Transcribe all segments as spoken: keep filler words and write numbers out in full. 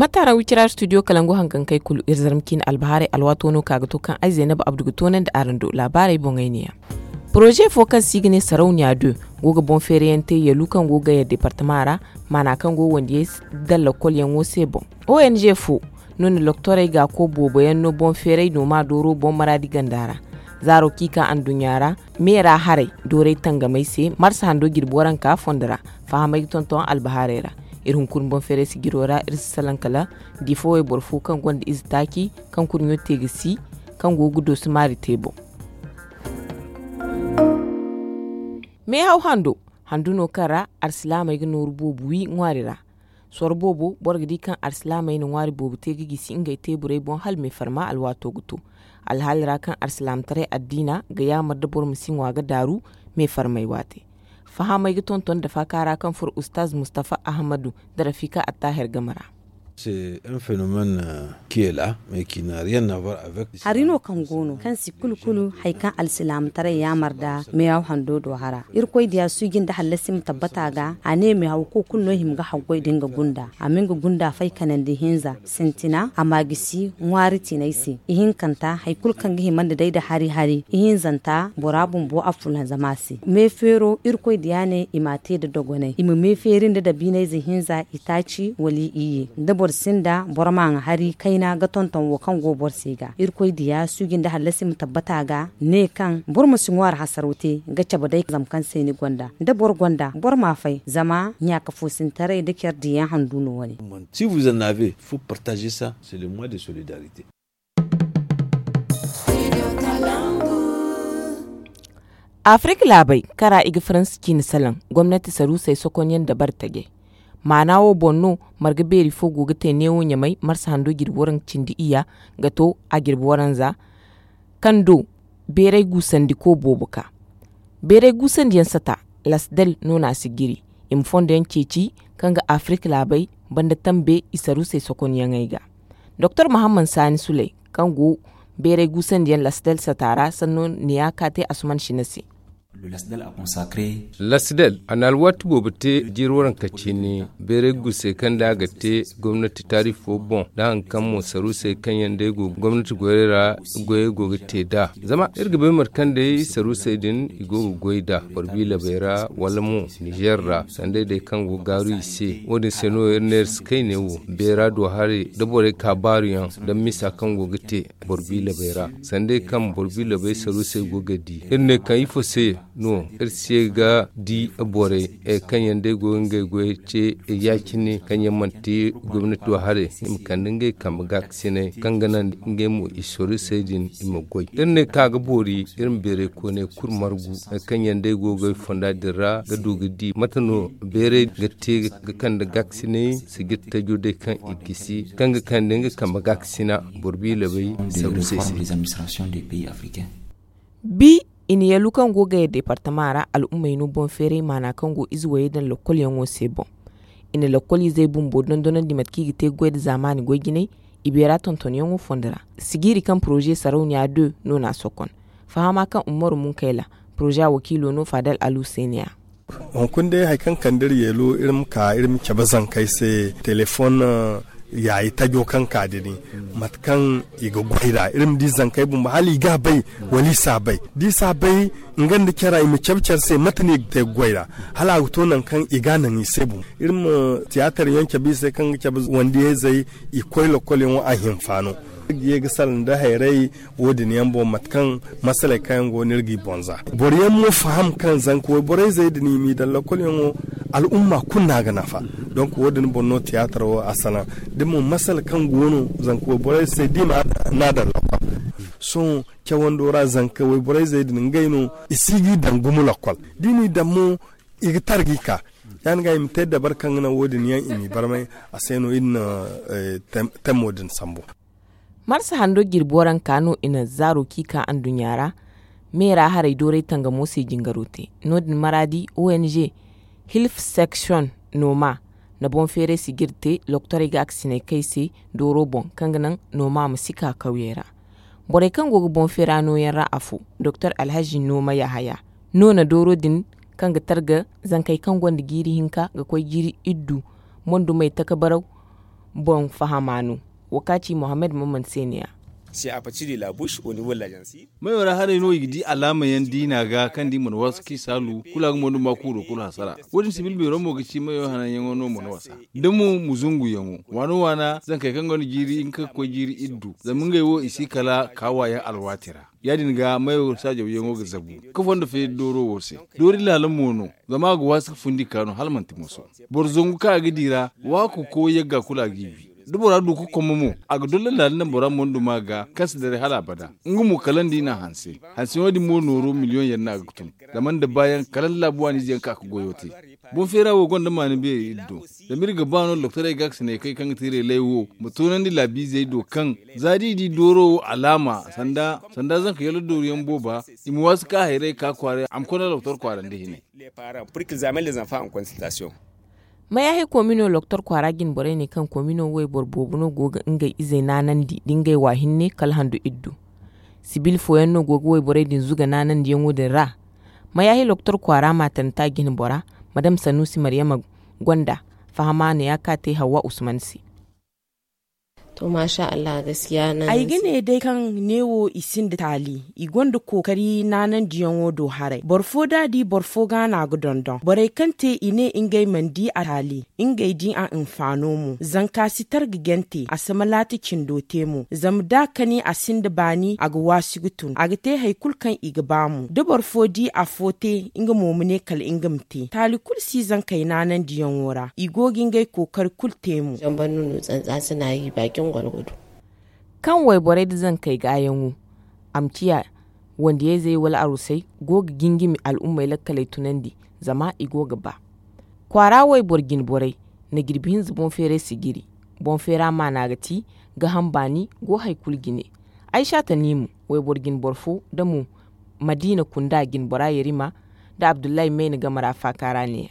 Mate araŋ wicira studio kalangu hangankey kulu iri zarma ciine albahaarey alwaato no ka ga to kaŋ ay zaynab abdu ga toonandi araŋ do laabaarey boŋey ne-ya. Poroze fo kaŋ se i ga ne sarauniya deux go ga boŋ feerayaŋ te yalu kaŋ go ga gaya departama ra, maana kaŋ go ga wandiyey daŋ lakolyaŋo se boŋ. Ong fo no na loktorey gaako boobo yaŋ no boŋ feeray no ma dooro boŋ maraadi ganda ra. Zaaro kaŋ i ka anduɲɲa ra, meera haray doorey tangamey se marsa hando jirbi waranka fondo ra. Fahamey ga tonton albahaarey ra. Iri hunkuna boŋ feeray sijiro ra iri si salaŋ kala diifo wayboro fo kaŋ gonda ize taaci kaŋ kurɲo te ga si, kaŋ go ga doosi maari te boŋ. Meehaw hando handu no kaŋ ra alsilaamey ga nooru boobo wi ŋwaari ra. Sorro boobo boro ga di kaŋ alsilaamey na ŋwaari boobo te ga gisi ngey teeburey boŋ hala meefarma alwaato ga to. Alhaali ra kaŋ alsilaamataray addiina ga yaamar da boro ma si ŋwa ga daaru meefarmay waate. Fahamey ga tonton dafaaka ra kaŋ furo ustaaz mustafa ahamadu nda rafiika attaahir game ra. Hari no kaŋ go no kaŋ si kulu kulu hari kaŋ alsilaamataray yaamar nda meeyaw hando do hara. Irkoy diya suuji nda hallasi ma tabbata ga a ne meehaw ko kulu no hima ga haggoy da nga gunda a ma nga gunda fay kanandi hinza sintina a ma gisi ŋwaari tinay se. Ihinkanta hari kulu kaŋ ga hima nda day nda hari hari ihinzanta bora bumbo a fulanzama se. Meefeero irkoy diya ne i ma a te nda dogonay i ma meefeeri nda dabiinayze hinza itaaci wala i iyye da boro sinda boro ma a ŋwa hari kayna ga tonton wo kaŋ go boro se ga irkoy diya suuji nda hallasi ma tabbata ga ne kaŋ boro ma si ŋwaari hasaraw te ga cabe day zama kaŋ se ni gonda da boro gonda boro ma fay zama ɲaaka foosintaray nda care diyaŋ handu no wane. Si vous en avez, faut partager ça, c'est le mois de solidarité. Afirik laabey kara i ga faransi ciine salaŋ gomnati saruusey sokonyaŋ dabari tajey. Maana wo boŋ no marga beeri fo go ga te neewo ɲamay marsa hando jirbi waranka cindi iyya ga to a jirbi waranza kaŋ do beeray guusandiko boobo ka. Beeray guusandiyaŋ sata lasdel no no a si jiri i ma fondo yaŋ ceeci kaŋ ga afirik laabey banda tambe i saruusey sokonyaŋey ga. Doktor muhammad saani suley kaŋ go beeray guusandiyaŋ lasdel sata ra sanno ne ya ka te asuman shina se. Lasdel a na alwaati boobo te jiiri waranka cine beeray guusey kaŋ da a ga te gomnati taari fo boŋ nda hari kaŋ mo saruusey kaŋ yaŋ day go gomnati goyey ra goyey go ga te nd'a. Zama iri ga bay mate kaŋ day saruusey din i go ga goy nd'a boro biilabey ra wala mo nizer ra sanday day kaŋ go gaaru i se. Wo- din se no iri ne iri si kay ne wo beera do haray nda borey ka baaru yaŋ nda misa kaŋ go ga te boro biilabey ra sanday kaŋ boro biilabey saruusey go ga di iri ne kaŋ ifo se no iri se ga di borey kaŋ yaŋ day go ga ngey goyey ce ya- cine kaŋ yaŋ mana te gomnati do haray i ma kande ngey kambe gaakasinay kaŋ ga naŋ ngey mo i saruusey din i ma goy. Iri ne kaŋ a ga boori iri ma beeray kooney kulu margu kaŋ yaŋ day go ga goy fonda din ra ga du ga di mate no beeray ga te ga kande gaakasinay sijir tajo day kaŋ i gisi kaŋ ga kande nga kambe gaakasina boro biilabey saruusey se. Bi i na yalu kaŋ go ga ye departama ra al'ummey no boŋ feeray maana kaŋ go ize wayey daŋ lokkolyaŋo se boŋ. I na lokkolizey bumbo dondonandi mate kaŋ i ga te ga goy nda zaamaani goy jinay i beera tontonyaŋo fondo ra. Sijiiri kaŋ poroze sarauniya deux no no a sokon. Fahama kaŋ umaru munkayla poroze wakiilo no faadal alu se ne- ya. Hunkuna day hari kaŋ kande iri yeelo iri ma ka iri ma cabe zankey se telefoŋ yaayi tajo kaŋ ka din mate kaŋ i ga goy nd'a iri ma di zankey bumbo hala i ga a bay wala i si a bay da i si a bay nga nda care i ma cabe care se mate no i ga te ga goy nd'a hala a ga to nangu kaŋ i ga a naŋ i se bumbo iri ma tiyaatar yaŋ cabe i se kaŋ ga cabe wandiyayzey i koy lokkolyaŋo a hinfaano. Iri ga ye ga salaŋ nda hayray wo- din yaŋ boŋ mate kaŋ masaley kaŋ yaŋ go no iri g'i boŋ za boro yaŋ mo faham kaŋ zanka wayborey zey din i m'i daŋ lokol yaŋo al'umma kulu no a ga nafa. Donk wo- din boŋ no tiyaatar wo a salaŋ da mo masala kaŋ go no zanka wayborey se da i ma n'a daŋ lokol sohõ cawando ra zanka wayborey zey din ngey no i si g'i daŋ gumo lokol da i n'i daŋ mo i ga targa i ka ya- din ga i ma te dabari kaŋ ga naŋ wo- din yaŋ i m'i barmay a se no iri na temo din sambu. Marsa hando jirbi waranka no i na zaaro kaŋ i ka anduɲɲa ra meera haray dooray tangamo se jingaro te no- din maraadi ong hilf section nooma na boŋ feeray sijir te loktorey ga a ga sinay kay se dooro boŋ kaŋ ga naŋ nooma ma si ka kawyey ra. Borey kaŋ go ga boŋ feera nooyaŋ ra afo doktor alhazi nooma yahaya no na dooro din kaŋ ga targa zankey kaŋ gonda jiiri hinka ga koy jiiri iddu mondumey takabaraw boŋ fahama no. Wo kaŋ a ci mohammed mamman se ne ya. Mayo ra haray no i ga di alaama yaŋ diina ga kaŋ da i mana waasu k'i saalu kulu a ga moyduma kuuro kulu hasara. Wo- din sibil beero mo ga ci mayo hananyaŋo no mana wasa da mo muzunguyaŋo waana waana zankey kaŋ gonda jiiri hinka ga koy jiiri iddu zama ngey wo i si kala kaawayaŋ alwaati ra. Ya- din ga mayo saajawyaŋo ga zabu ka fondo feeri dooro wo se. Doori laala mo no zama a ga waasu ka fundi ka no hala manti moso. Boro zangu kaŋ a ga di ra waaku koy yagga kulu a g'i wi. Da bora du ka komma mo a ga dolla laala naŋ bora moyduma ga kaŋ si daray hala abada. Nga mo kala nda i n'a hanse hanseyaŋo din mo nooro miliyoŋ yaŋ no a ga tun. Zama nda baayaŋ kala nda laabu waaniize yaŋ ka ka goyo te. Boŋ feera wo gonda maani beeri iri do. Zama iri ga ba no doktorey ga ga sinay kay kaŋ ga tiiray lay wo ma toonandi laabiizey do kaŋ za da i di dooro wo alaama sanda zanka yalla dooru yaŋ booba i ma waasu ka hayray ka kwaara a ma konda doktor kwaara nda hinay. Mayahi komino loktor kwaara jinborey ne kaŋ komino wayboro boobo no go ga ngey izey naanandi nda ngey wa hinne kala handu iddu. Sibil fooyaŋ no go ga wayborey din zuga naanandiyaŋo din ra. Mayahi loktor kwaara maatanta jinbora madam sanuusi maryama gonda fahama ne ya ka te hawwa usman se. Ay ga ne day kaŋ neewo i sinda taali i gonda kookari naanandiyaŋo do haray boro fo da a di boro fo ga no a ga dondon borey kaŋ te i ne ngey mana di a taali. Ngey di a hinfaano mo zanka si tar ga jante a si malaati cindo te mo zama da a kani a sinda baani a ga waasi ga tun a ga te hari kulu kaŋ i ga ba mo da boro fo di afo te nga mo ma ne kala nga ma te taali kulu si zankey naanandiyaŋo ra i go ga ngey kookari kulu te mo. Kaŋ wayborey nda zankey gaayaŋo a ma ciya wandiyayzey wala arusey go ga jingimi al'ummey lakkaley tunandi. Zama i go ga ba kwaara wayboro jinborey na jirbi hinza boŋ feeray si jiri. Boŋ feera maana ga ti gaham baani go hari kulu jine. Ay saata ni mo wayboro jinboro fo da mo madiina kunda jinbora yarima nda abdullahi mayna game ra faaka ra ne- ya.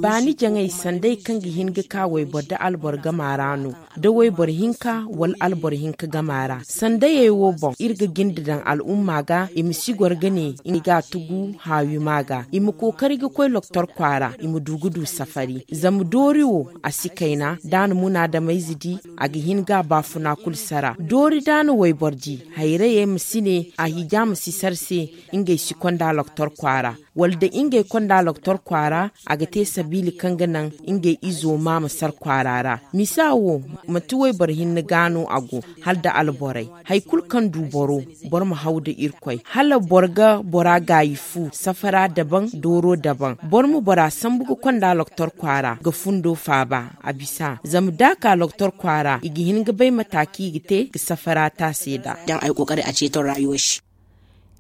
Baani jaŋay sanday kaŋ ga hin ga ka wayboro da alboro gama ra no da wayboro hinka wala alboro hinka gama ra sandayey wo boŋ iri ga jinde daŋ al'umma ga i ma si goro ga ne i ga a tugu haawima ga i ma kookari ga koy loktor kwaara i ma du ga du safari zama doori wo a si kayna da a na munaadamayze di a ga hin ga a baafuna kulu sara doori da a na wayboro di hayrayey ma si ne a hija ma si sara se. Ngey si konda loktor kwaara wala da ngey konda loktor kwaara a ga te sabiila kaŋ ga naŋ ngey izo ma ma sara kwaara ra. Misa wo manti wayboro hinne ga no a go hala nda alborey hari kulu kaŋ du boro boro ma haw nda irkoy hala boro ga bora gaayi fu safara daban dooro daban boro ma bora sambu ga konda loktor kwaara ga fundo faaba a bisa zama da a ka loktor kwaara i ga hin ga bay mata kaŋ i ga te ga safara taase nd'a.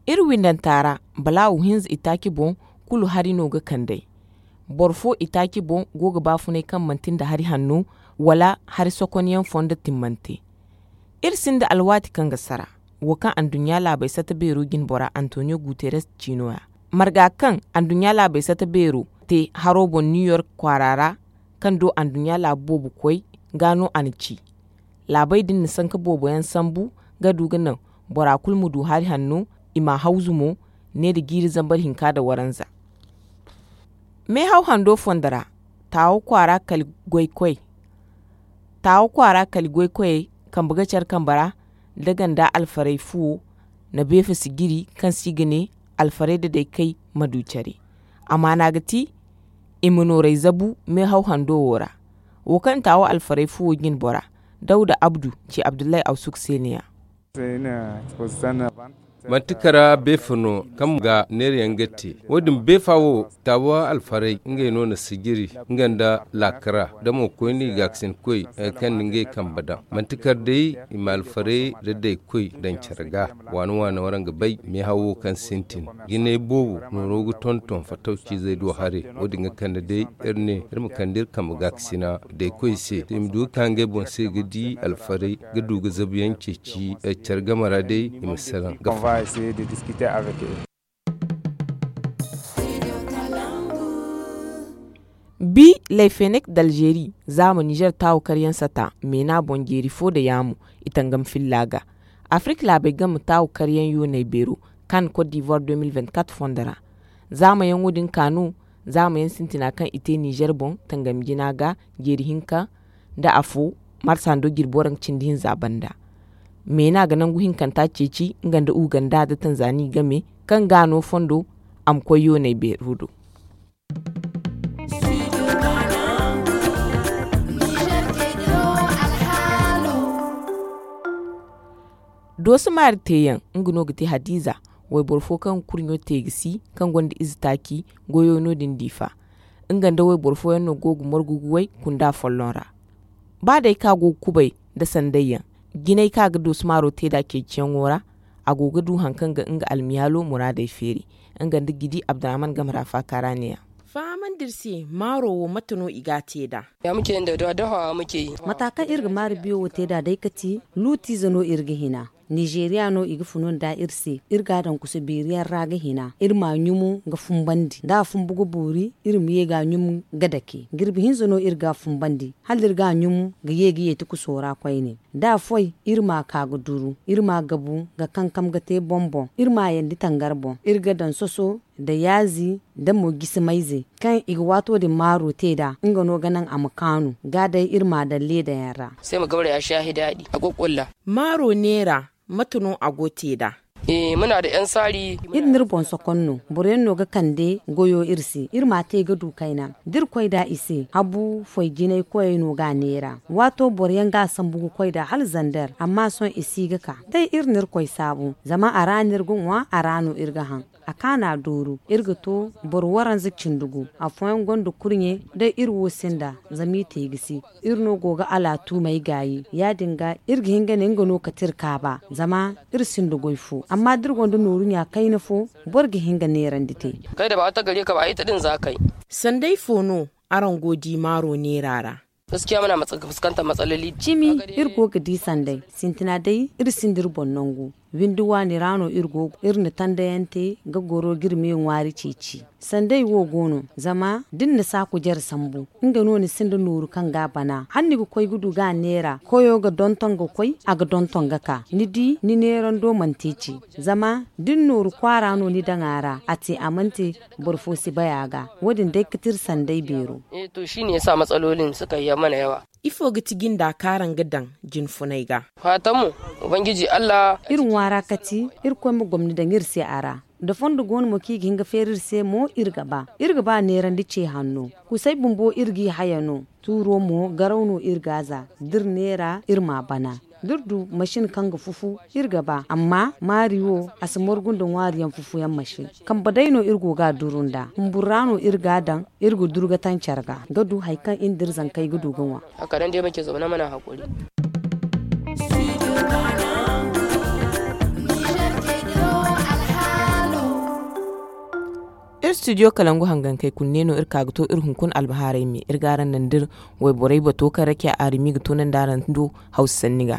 Iri windanta ra balaawu hinza itaaci boŋ kulu hari no ga kand'ey. Boro fo itaaci boŋ go ga baafunay kaŋ manti nda hari hanno wala hari sokonyaŋ fondo timmante. Iri sinda alwaati kaŋ ga sara wo kaŋ anduɲɲa laabey sata beero jinbora antonio guterres ci no- ya. Marga kaŋ anduɲɲa laabey sata beero te haro boŋ new york kwaara ra kaŋ do anduɲɲa laabu boobo koy ga no a na ci. Laabey din na sanka boobo yaŋ sambu ga du ga naŋ bora kulu ma du hari hanno i m'a hawzu mo ne nda jiiri zambar hinka nda waranza. Meehaw hando fondo ra taawo kwaara kali goykoy taawo kwaara kali goykoyey kambe ga care kambe ra da ganda alfarey fuwo na beefa sijiri kaŋ se i ga ne alfarey da daykey ma du care. Amaana ga ti i ma noorey zabu meehaw hando wo ra. Wo kaŋ taawo alfarey fuwo jinbora dawda abdu ci abdullahi awsuk se ne- ya. Manti kara beefa no kaŋ ga neerayaŋ ga te wo- din beefa wo taawa alfarey ngey no na sijiri nga nda laakara da mo koyne gaakasinkoy kaŋ na ngey kambe daŋ manti kara day i ma alfarey da daykoy daŋ care ga. Waana waana waraŋ ga bay meehawo kaŋ sintin jinay boobo nooro ga tonton fattaw ciizey do haray. Wo- din ga kande day iri ne iri ma kande iri kambe gaakasina daykoy se i ma du ga ka ngey boŋ se ga di alfarey ga du ga zabuyaŋ ceeci care game ra day i ma salaŋ ga. Bi layfenek d'algérie zaama nizer taawo karyaŋ sata meena boŋ jeeri fo nda yaamo i tangam filla ga. Afirka laabey game taawo karyaŋ yooney beero kan côte d'ivoire deux mille vingt-quatre fondo ra. Zaamayaŋo din ka no zaamayaŋ sintina kaŋ i te nizer boŋ tangam jina ga jeeri hinka da afo, marsa ndo jirbi waranka cindi hinza banda. Meena ga nangu hinkanta ceeci nga nda uganda nda tanzani game, kaŋ ga a no fondo a ma koy yooney beero do. Dooso maari teeyaŋ, nga no ga ti hadiiza, wayboro fo kaŋ ga kurɲo te ga si, kaŋ gonda ize taaci goyo no- din diifa. Nga nda wayboro fooyaŋ no go ga morgu ga way kunda folloŋ ra. Ba day kaŋ a go ga kubay nda sandayyaŋ, jinay kaŋ a ga dooso maaro te nd'a ceeciyaŋo ra, a go ga du hari kaŋ ga nga almiyaalo muraadey feeri. Nga nda gidi abdurahman game ra faaka ra ne-ya. Fahamandi iri se, maaro wo mate no i ga a te nd'a? Ya muke yin da dafawa muke yi. Mata kaŋ iri ga maari biyo wo te nd'a day ka ti, luutiize no iri ga hina. Nizeeriya no i ga funu nda iri se. Iri ga a daŋ kusa beeri yaŋ ra ga hina, iri m'a ɲumu ga fumbandi. Da a fumbu ga boori, iri ma ye ga a ɲumu ga dake. Jirbi hinza no iri ga a fumbandi, hala iri ga a ɲumu ga ye ga yeeti kuso ra koyne. Da a foy, iri m'a ka ga duru, iri m'a gabu ga kankam ga te boŋ-boŋ, iri m'a yandi tangar boŋ, iri ga daŋ soso nda yaazi nda mo jisimayze, kaŋ i ga waato din maaro te nd'a, nga no ga naŋ a ma kaanu. Ga day iri m'a daŋ leeda yaŋ ra. Maaro neera, mate no a go te nd'a? Iri n'iri boŋ sokon no, boro yaŋ no ga kande goyo iri se, iri m'a te ga du kayna. Da iri koy nd'a i se, habu foy jinay koyey no ga a neera. Waato boro yaŋ ga a sambu ga koy nd'a hala zander, amma sohõ i si ga ka. Day iri n'iri koy saabu, zama a ra no iri ga ŋwa, a ra no iri ga haŋ. A kaana dooru, iri ga to boro waranza cindi gu. Afooyaŋ gonda kurɲe, day iri wo sinda, zama i te ga si. Iri no go ga alaatumey gaayi. Ya-din ga, iri ga hin ga ne nga no kate iri kaaba, zama iri sinda goy fo. Amma da iri gonda nooru ɲa kayna fo, boro ga hin ga neerandi te. Sanday fo no araŋ go di maaro neera ra? Cimi, iri go ga di sanday. Sintina day, iri sinda iri boŋ nangu. Windi waani ra no iri go ga, iri na tandayaŋ te ga goro ga iri me ŋwaari ceeci. Sanday wo go no, zama da ni na saaku jare sambu, nga no ni sinda nooru kaŋ ga a bana. Hala ni ga koy ga du ga a neera, koyo ga donton ga koy, a ga donton ga ka. Ni di, ni neerando mana te ce. Zama da ni nooru kwaara no ni daŋ a ra, a te a mana te, boro fo si bay a ga. Wo-din day ga ti iri sanday beero. Ifo ga ti jinda kaŋ araŋ ga daŋ jinfunay ga? Iri ŋwaara kati, irkoy ma gomni daŋ iri se a ra. Da fondo go no mo kaŋ i ga hin ga feeri iri se mo, iri ga ba. Iri ga ba neerandi ce hanno. Kusay bumbo iri g'i haya no. Tuuro mo, garaw no iri g'a za. Da iri neera, iri m'a bana. Da iri du masin kaŋ ga fufu, iri ga ba. Amma maari wo, a si margu nda ŋwaariyaŋ fufuyaŋ masin. Kambe day no iri go ga a duru nd'a. Humbur ra no iri g'a daŋ, iri ga duru ga taŋ care ga, ga du hari kaŋ iri nda iri zankey ga du ga ŋwa. Iri studio kalangu hangankey kulu ne no iri ka ga to iri hunkuna albahaarey me. Iri ga araŋ naŋ da iri wayborey bato kaŋ rake arimi ga to naŋ da araŋ do hawsa sanni ga.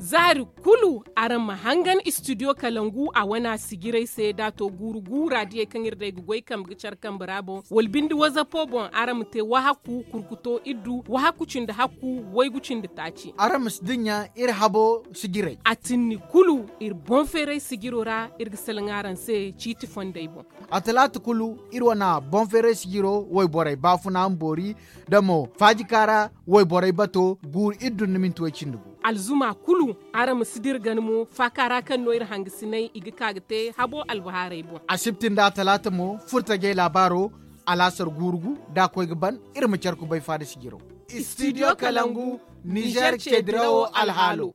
Zaari kulu araŋ ma hangan studio kalangu a wana sijirey se da a to guuru guura diyey kaŋ iri day ga goy kambe ga care kambe ra boŋ wala binde wazapo boŋ araŋ ma te wahakku kurkuto iddu wahakku cindi hakku waygu cindi taaci. Araŋ ma si dinya iri habo sijirey a tinni kulu iri boŋ feeray sijiro ra iri ga salaŋ araŋ se ciiti fondey boŋ. A talaata kulu iri wana boŋ feeray sijiro wayborey baafuna ma boori da mo faajika ra wayborey bato guuru iddu nda minti way cindi gu. Alzuma kulu araŋ ma si dira gana mo faaka ra kaŋ no iri hangasiney i ga ka ga te habo albahaarey boŋ. Asibti nda talaata mo furtajey laabaaro alaasar guuru gu da a koy ga ban iri ma care kubay faada sijiro. Studio kalangu, nizer ce dirawo alhaalo.